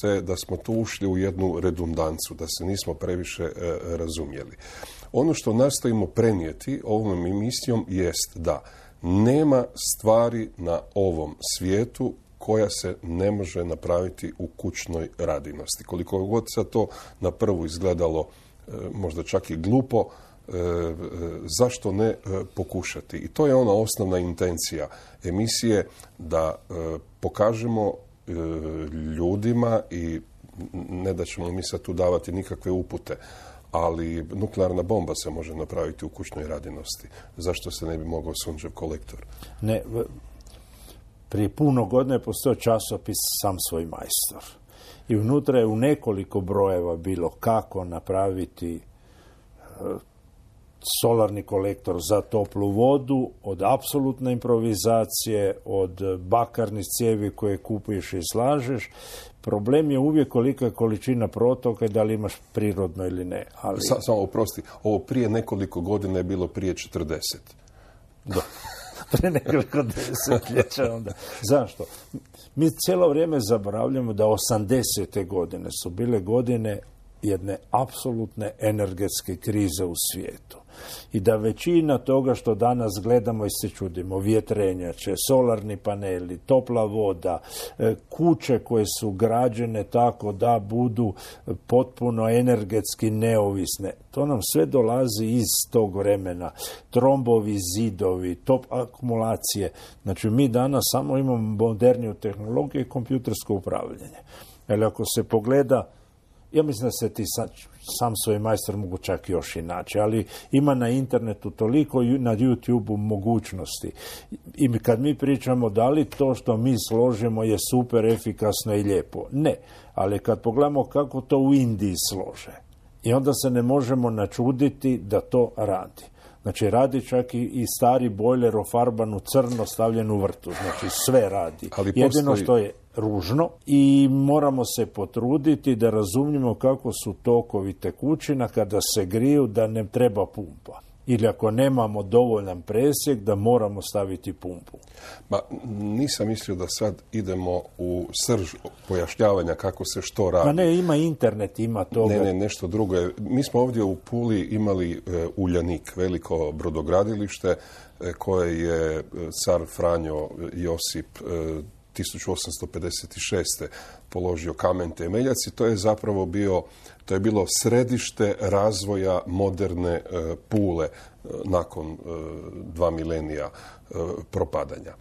se da smo tu ušli u jednu redundancu, da se nismo previše razumjeli. Ono što nastojimo prenijeti ovom emisijom jest da nema stvari na ovom svijetu koja se ne može napraviti u kućnoj radinosti. Koliko god sad to na prvu izgledalo možda čak i glupo, zašto ne pokušati? I to je ona osnovna intencija emisije, da pokažemo ljudima, i ne da ćemo mi sad tu davati nikakve upute, ali nuklearna bomba se može napraviti u kućnoj radinosti. Zašto se ne bi mogao sunčev kolektor? Ne, prije puno godina je postao časopis Sam svoj majstor. I unutra je u nekoliko brojeva bilo kako napraviti solarni kolektor za toplu vodu, od apsolutne improvizacije, od bakarnih cijevi koje kupuješ i slažeš. Problem je uvijek kolika količina protoka i da li imaš prirodno ili ne. Ali... Samo oprosti, ovo prije nekoliko godina je bilo prije 40. Da. Prije nekoliko desetljeća onda. Zašto? Mi cijelo vrijeme zaboravljamo da 80. godine su bile godine jedne apsolutne energetske krize u svijetu. I da većina toga što danas gledamo i se čudimo, vjetrenjače, solarni paneli, topla voda, kuće koje su građene tako da budu potpuno energetski neovisne, to nam sve dolazi iz tog vremena. Trombovi, zidovi, top akumulacije. Znači mi danas samo imamo moderniju tehnologiju i kompjutersko upravljanje. Ali ako se pogleda, ja mislim da se ti Sam svoj majstor mogu čak još inače, ali ima na internetu toliko, na YouTube-u mogućnosti. I kad mi pričamo da li to što mi složimo je super efikasno i lijepo. Ne, ali kad pogledamo kako to u Indiji slože, i onda se ne možemo načuditi da to radi. Znači, radi čak i stari bojler ofarban u crno stavljen u vrtu. Znači, sve radi. Jedino što je ružno i moramo se potruditi da razumijemo kako su tokovi tekućina kada se griju, da ne treba pumpa. Ili ako nemamo dovoljan presjek, da moramo staviti pumpu. Nisam mislio da sad idemo u srž pojašnjavanja kako se što radi. Ne, ima internet, ima toga. Ne, nešto drugo je. Mi smo ovdje u Puli imali Uljanik, veliko brodogradilište koje je car Franjo Josip 1856. položio kamen temeljac i to je zapravo bilo središte razvoja moderne Pule nakon 2 milenija propadanja.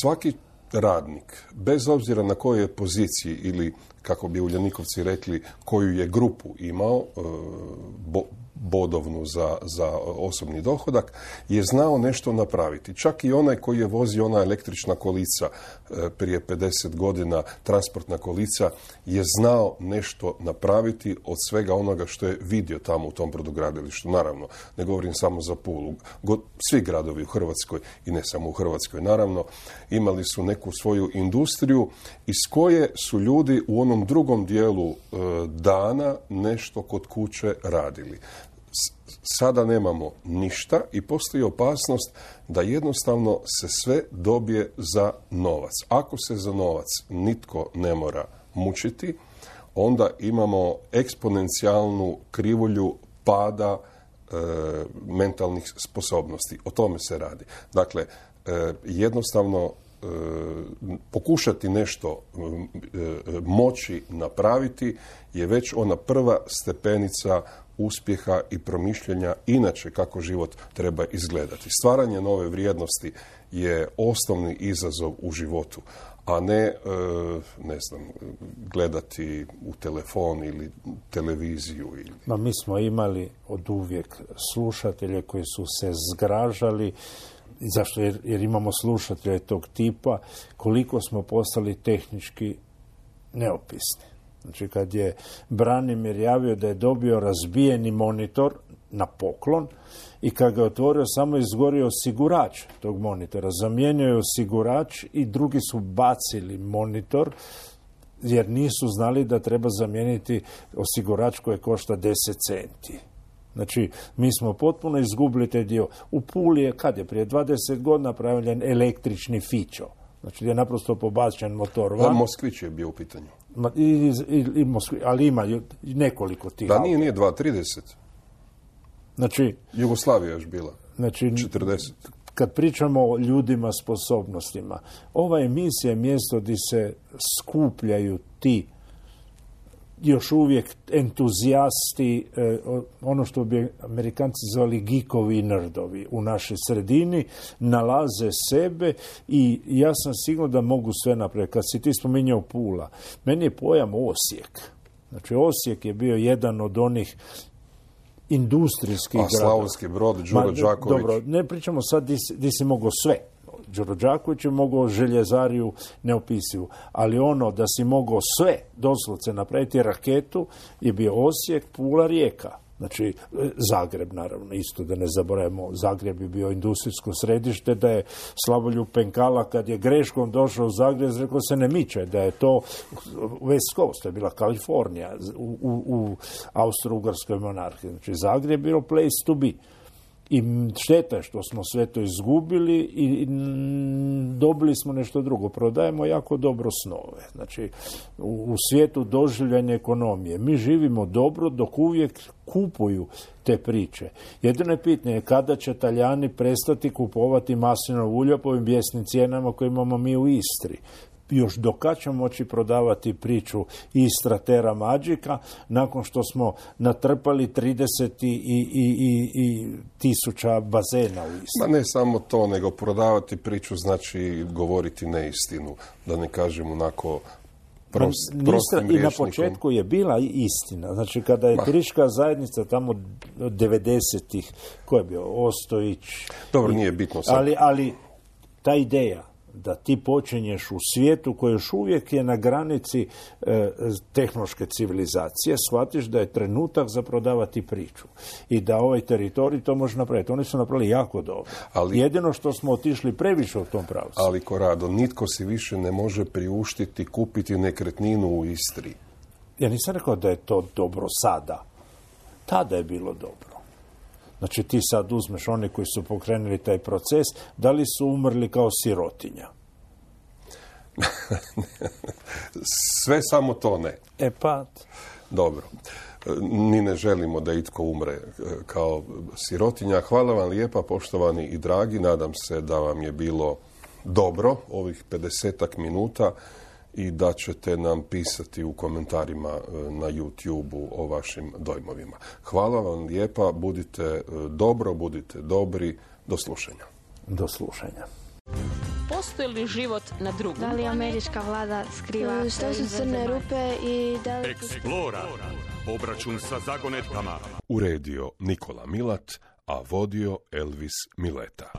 Svaki radnik, bez obzira na kojoj je poziciji ili, kako bi Uljanikovci rekli, koju je grupu imao, bodovnu za osobni dohodak, je znao nešto napraviti. Čak i onaj koji je vozio ona električna kolica prije 50 godina, transportna kolica, je znao nešto napraviti od svega onoga što je vidio tamo u tom brodogradilištu. Naravno, ne govorim samo za Pulu. Svi gradovi u Hrvatskoj, i ne samo u Hrvatskoj, naravno, imali su neku svoju industriju iz koje su ljudi u onom drugom dijelu dana nešto kod kuće radili. Sada nemamo ništa i postoji opasnost da jednostavno se sve dobije za novac. Ako se za novac nitko ne mora mučiti, onda imamo eksponencijalnu krivulju pada mentalnih sposobnosti. O tome se radi. Dakle, jednostavno pokušati nešto moći napraviti je već ona prva stepenica uspjeha i promišljanja inače kako život treba izgledati. Stvaranje nove vrijednosti je osnovni izazov u životu, a ne gledati u telefon ili televiziju. Mi smo imali od uvijek slušatelje koji su se zgražali. Zašto? Jer imamo slušatelje tog tipa, koliko smo postali tehnički neopisni. Znači, kad je Branimir javio da je dobio razbijeni monitor na poklon i kad ga je otvorio, samo izgorio osigurač tog monitora. Zamijenio je osigurač i drugi su bacili monitor jer nisu znali da treba zamijeniti osigurač koji košta 10 centi. Znači, mi smo potpuno izgubili taj dio. U Puli je, kad je prije 20 godina napravljen električni fićo. Znači gdje je naprosto pobačen motor van. Moskvić je bio u pitanju. Ali ima nekoliko tih. Da, nije 2.30. Znači, Jugoslavija je još bila. Znači, 40. Kad pričamo o ljudima sposobnostima, ova emisija je mjesto gdje se skupljaju ti još uvijek entuzijasti, ono što bi Amerikanci zvali geekovi i nerdovi u našoj sredini, nalaze sebe i ja sam siguran da mogu sve napraviti. Kad si ti spominjao Pula, meni je pojam Osijek. Znači, Osijek je bio jedan od onih industrijskih gradova. Slavonski Brod, Đuro Đaković. Dobro, ne pričamo sad di si mogao sve. Đuro Đaković je mogao željezariju neopisivu, ali ono da si mogao sve doslovce napraviti raketu je bio Osijek, Pula, Rijeka. Znači, Zagreb, naravno, isto da ne zaboravimo, Zagreb je bio industrijsko središte, da je Slavoljub Penkala, kad je greškom došao u Zagreb, rekao se ne miče, da je to West Coast, to je bila Kalifornija u Austro-Ugarskoj monarhiji. Znači, Zagreb je bilo place to be. I šteta je što smo sve to izgubili i dobili smo nešto drugo. Prodajemo jako dobro snove. Znači, u svijetu doživljanja ekonomije. Mi živimo dobro dok uvijek kupuju te priče. Jedino je pitanje kada će Talijani prestati kupovati maslinovo ulje po ovim bijesnim cijenama koje imamo mi u Istri. Još do kad ćemo moći prodavati priču Istra Terra Magica nakon što smo natrpali 30 i tisuća bazena u Istri. Ma ne samo to, nego prodavati priču znači govoriti neistinu, da ne kažem onako prostim rječnikom. I na početku je bila istina. Znači, kada je turistička zajednica tamo 90-ih, ko je bio? Ostojić. Dobro, nije bitno sad. Ali ta ideja da ti počinješ u svijetu koji još uvijek je na granici tehnološke civilizacije, shvatiš da je trenutak za prodavati priču i da ovaj teritorij to može napraviti. Oni su napravili jako dobro. Jedino što smo otišli previše u tom pravcu. Ali, Korado, nitko si više ne može priuštiti kupiti nekretninu u Istri. Ja nisam rekao da je to dobro sada. Tada je bilo dobro. Znači, ti sad uzmeš one koji su pokrenuli taj proces, da li su umrli kao sirotinja? Sve samo to ne. Dobro. Ni ne želimo da itko umre kao sirotinja. Hvala vam lijepa, poštovani i dragi. Nadam se da vam je bilo dobro ovih 50 minuta i da ćete nam pisati u komentarima na YouTube-u o vašim dojmovima. Hvala vam lijepa, budite dobro, budite dobri, do slušanja. Do slušanja. Postoji li život na drugom? Da li američka vlada skriva što su crne rupe i da li... Explora. Obračun sa zagonetkama. Uredio Nikola Milat, a vodio Elvis Mileta.